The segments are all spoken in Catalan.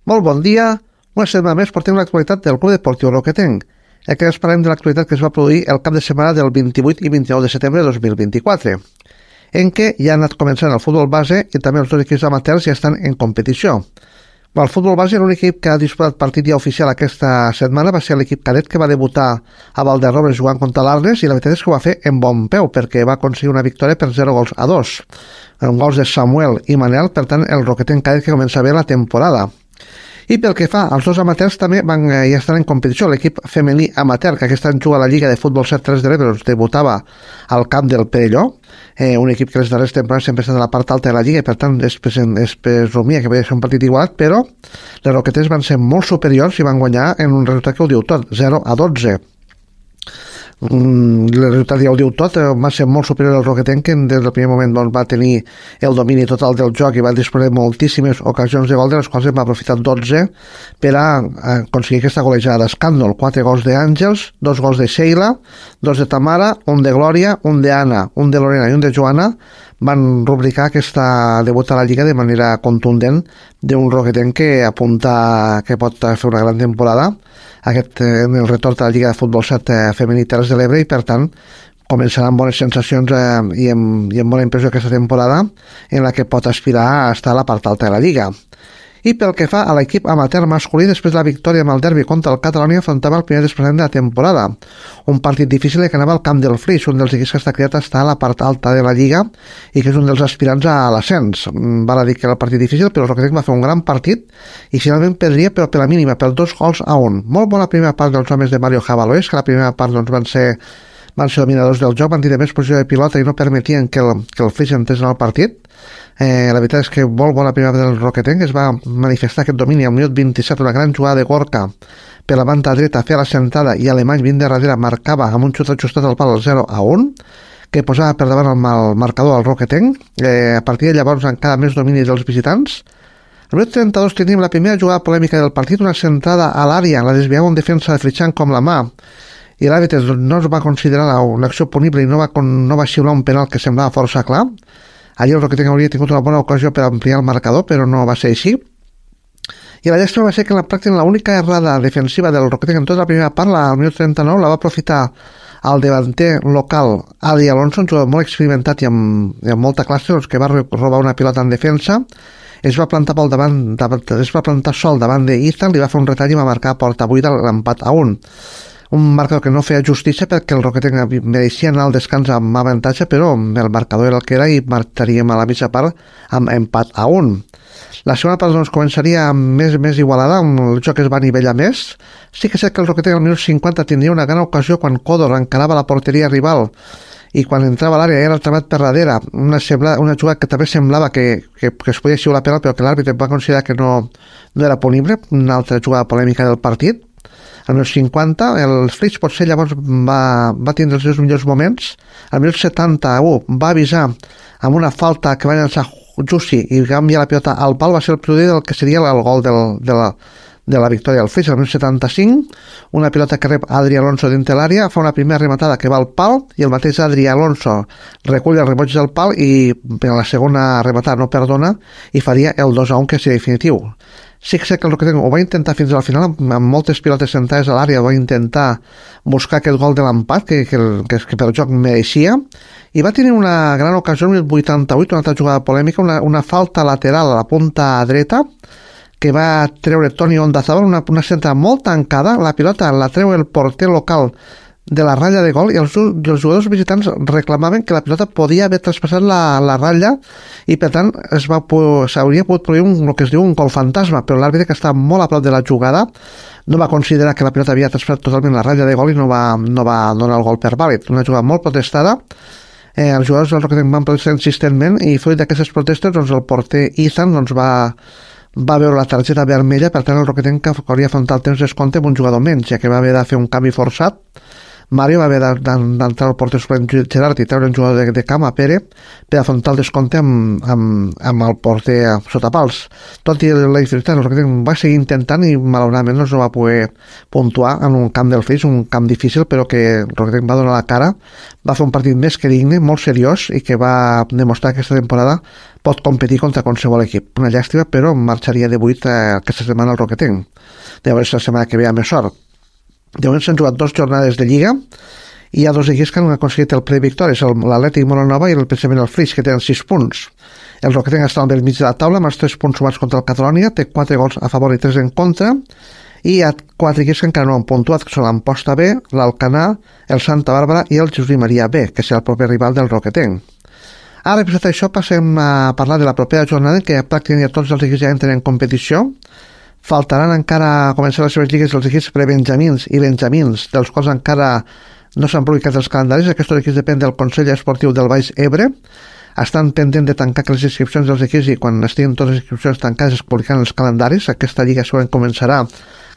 Molt bon dia. Una setmana més portem l'actualitat del Club Deportiu Roquetenc. Aquí ens parlem de l'actualitat que es va produir el cap de setmana del 28 i 29 de setembre de 2024, en què ja ha anat començant el futbol base i també els dos equips amateurs ja estan en competició. El futbol base, l'únic equip que ha disputat partit ja oficial aquesta setmana va ser l'equip cadet que va debutar a Valderrobres jugant contra l'Arles, i la veritat és que ho va fer en bon peu perquè va aconseguir una victòria per 0-2, amb gols de Samuel i Manel. Per tant, el Roquetenc cadet que comença bé la temporada. I pel que fa als dos amateurs, també ja estan en competició. L'equip femení amateur, que aquest any juga a la Lliga de Futbol 7-3 de l'Ebre, debutava al camp del Perelló, un equip que les darreres temporades sempre ha estat a la part alta de la Lliga i per tant es presumia que podia ser un partit igualat, però les Roquetes van ser molt superiors i van guanyar en un resultat que ho diu tot, 0-12. El resultat ja ho diu tot, va ser molt superior al Roquetenc, que des del primer moment va tenir el domini total del joc i va disposar de moltíssimes ocasions de gol, de les quals en va aprofitar 12 per a aconseguir aquesta golejada d'escàndol. 4 gols d'Àngels, 2 gols de Sheila, 2 de Tamara, un de Glòria, un d'Anna, un de Lorena i un de Joana. Van rubricar aquesta debut a la Lliga de manera contundent d'un Roquetenc que apunta que pot fer una gran temporada en el retorn a la Lliga de Futbol 7 femení Terres de l'Ebre, i per tant començarà amb bones sensacions i amb bona impressió aquesta temporada, en la que pot aspirar a estar a la part alta de la Lliga. I pel que fa a l'equip amateur masculí, després de la victòria amb el derbi contra el Catalonia, afrontava el primer desplaçament de la temporada. Un partit difícil que anava al camp del Flix, un dels equips que està criat a estar a la part alta de la Lliga i que és un dels aspirants a l'ascens. Val a dir que era el partit difícil, però el Roquetenc va fer un gran partit i finalment perdria, però per la mínima, per 2-1. Molt bona primera part dels homes de Mario Javalois, que la primera part van ser dominadors del joc, van tenir més posició de pilota i no permetien que el Flix entrés en el partit. La veritat és que molt bona primera del Roquetenc, es va manifestar aquest domini al minut 27, una gran jugada de Gorka per la banda dreta, feia la sentada i Alemany vint de darrere marcava amb un xut ajustat al pal 0-1, que posava per davant el marcador al Roquetenc. A partir de llavors encara més domini dels visitants. Al minut 32 tenim la primera jugada polèmica del partit, una sentada a l'àrea, la desviava un defensa de Fritxan com la mà, i l'àrbitre no es va considerar una acció punible i no va xiular un penal que semblava força clar. Allí el Roquetenc hauria tingut una bona ocasió per ampliar el marcador, però no va ser així. I la llàstima va ser que en la pràctica l'única errada defensiva del Roquetenc en tota la primera part, al minut 39, la va aprofitar el davanter local Adi Alonso, un jugador molt experimentat i amb molta classe, que va robar una pilota en defensa, es va plantar sol davant d'Ethan, li va fer un retall i va marcar a porta buida l'empat a 1. Un marcador que no feia justícia perquè el Roquetenc mereixia anar al descans amb avantatge, però el marcador era el que era i marxaríem a la mitja part amb empat a 1. La segona part començaria més igualada, el joc es va anivellar més. Sí que és cert que el Roquetenc al minut 50 tindria una gran ocasió quan Codor encarava la porteria rival i quan entrava a l'àrea era tramat per darrere, una jugada que també semblava que es podia xiular penal, però que l'àrbitre va considerar que no era punible, una altra jugada polèmica del partit. Al minut 50, el Flix potser llavors va tindre els seus millors moments. Al minut 71 va avisar amb una falta que va llançar Jussi i va enviar la pilota al pal, va ser el preludi del que seria el gol de la victòria del Flix. Al minut 75, una pilota que rep Adri Alonso dintre l'àrea, fa una primera rematada que va al pal i el mateix Adri Alonso recull el reboig del pal i per la segona rematada no perdona i faria el 2-1, que seria definitiu. Sí que sé que el Roquetenc ho va intentar fins al final, amb moltes pilotes sentades a l'àrea, va intentar buscar aquest gol de l'empat que per joc mereixia, i va tenir una gran ocasió al minut 88, una altra jugada polèmica, una falta lateral a la punta dreta que va treure Toni Ondazabal, una centra molt tancada, la pilota la treu el porter local de la ratlla de gol i els jugadors visitants reclamaven que la pilota podia haver traspassat la ratlla i per tant s'hauria pogut produir el que es diu un gol fantasma, però l'àrbitre, que està molt a prop de la jugada, no va considerar que la pilota havia traspassat totalment la ratlla de gol i no va donar el gol per vàlid. Una jugada molt protestada. Els jugadors del Roquetenc van protestar insistentment i fruit d'aquestes protestes el porter Ethan va veure la targeta vermella. Per tant el Roquetenc hauria afrontat el temps descompte amb un jugador menys, ja que va haver de fer un canvi forçat. Mario va haver d'entrar al porter suplent Gerard i treure un jugador de camp a Pere per afrontar el descompte amb el porter sota pals. Tot i la dificultat, el Roquetenc va seguir intentant i malauradament no es va poder puntuar en un camp del Flix, un camp difícil, però que el Roquetenc va donar la cara, va fer un partit més que digne, molt seriós, i que va demostrar que aquesta temporada pot competir contra qualsevol equip. Una llàstima, però marxaria de 8 aquesta setmana al Roquetenc. De veure si la setmana que ve ha més sort. De moment s'han jugat 2 jornades de Lliga i hi ha 2 equips que han aconseguit el ple victòries, l'Atlètic Molanova i precisament el Flix, que tenen 6 punts. El Roquetenc està al mig de la taula amb els 3 punts sumats contra el Catalonia, té 4 gols a favor i 3 en contra, i hi ha 4 equips que encara no han puntuat, que són l'Amposta B, l'Alcanar, el Santa Bàrbara i el Josep Maria B, que serà el proper rival del Roquetenc. Ara, per això, passem a parlar de la propera jornada, en què pràcticament ja tots els equips ja entren en competició. Faltaran encara començar les seves lligues els equips prebenjamins i benjamins, dels quals encara no s'han publicat els calendaris. Aquests equips depèn del Consell Esportiu del Baix Ebre. Estan pendents de tancar les inscripcions dels equips i quan estiguin totes les inscripcions tancades es publicaran els calendaris. Aquesta lliga segurament començarà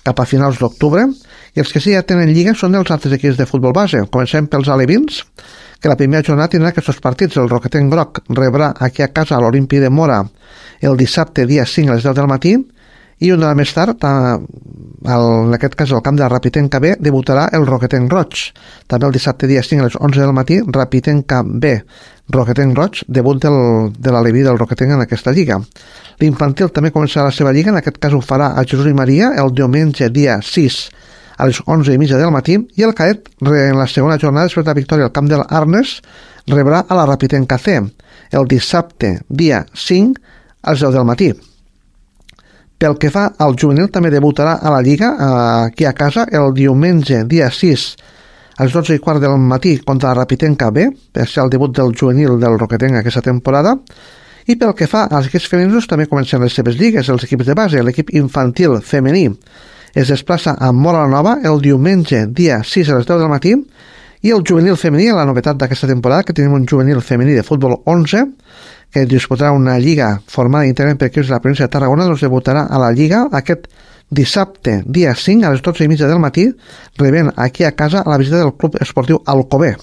cap a finals d'octubre. I els que sí ja tenen lliga són els altres equips de futbol base. Comencem pels alevins, que la primera jornada tindrà aquests partits. El Roquetenc Groc rebrà aquí a casa a l'Olimpi de Mora el dissabte dia 5 a les 10 del matí, i una hora més tard, en aquest cas al camp de Rapitenca B, debutarà el Roquetenc Roig. També el dissabte dia 5 a les 11 del matí, Rapitenca B, Roquetenc Roig, debut de l'aleví del Roquetenc en aquesta lliga. L'infantil també començarà la seva lliga, en aquest cas ho farà a Jesús i Maria el diumenge dia 6 a les 11:30 del matí, i el cadet, en la segona jornada després de la victòria al camp de l'Arnes, rebrà a la Rapitenca C el dissabte dia 5 a les 10 del matí. Pel que fa al juvenil, també debutarà a la Lliga aquí a casa el diumenge dia 6 a les 12:15 del matí contra la Rapitenca B, per ser el debut del juvenil del Roquetenc aquesta temporada. I pel que fa als equips femenins, també comencen les seves lligues, els equips de base. L'equip infantil femení es desplaça a Móra la Nova el diumenge dia 6 a les 10 del matí, i el juvenil femení, la novetat d'aquesta temporada, que tenim un juvenil femení de futbol 11, que disputarà una lliga formada íntegrament per equips de la província de Tarragona, doncs debutarà a la lliga aquest dissabte, dia 5, a les 12:30 del matí, rebent aquí a casa a la visita del Club Esportiu Alcover.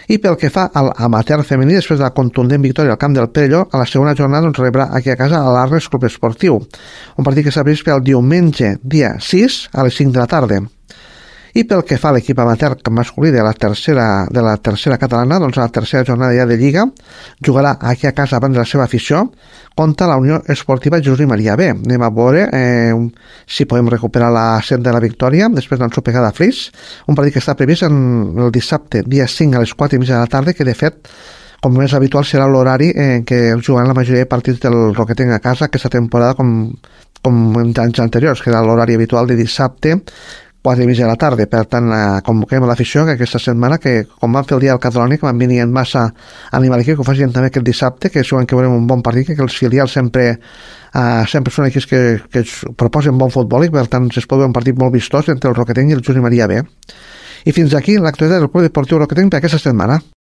I pel que fa a l'amateur femení, després de la contundent victòria al camp del Perelló, a la segona jornada doncs, rebrà aquí a casa a l'Arnes Club Esportiu, un partit que s'ha previst per el diumenge, dia 6, a les 5 de la tarda. I pel que fa a l'equip amateur masculí de la tercera catalana, doncs a la tercera jornada ja de Lliga, jugarà aquí a casa abans de la seva afició contra la Unió Esportiva Jesús i Maria B. Anem a veure si podem recuperar la senda de la victòria després d'ensopegada a Flix, un partit que està previst el dissabte, dia 5 a les 4:30 de la tarda, que de fet, com més habitual, serà l'horari en què jugaran la majoria de partits del Roquetenc a casa aquesta temporada, com en anys anteriors, que era l'horari habitual de dissabte 4:30 de la tarda. Per tant, convoquem a l'afició que aquesta setmana, que com van fer el dia del Catalonia, que van venir en massa a animar l'equip, que ho facin també aquest dissabte, que segurament que veurem un bon partit, que els filials sempre són equips que proposen bon futbol, i per tant es pot veure un partit molt vistós entre el Roquetenc i el Josep Maria B. I fins aquí l'actualitat del Club Deportiu Roquetenc per aquesta setmana.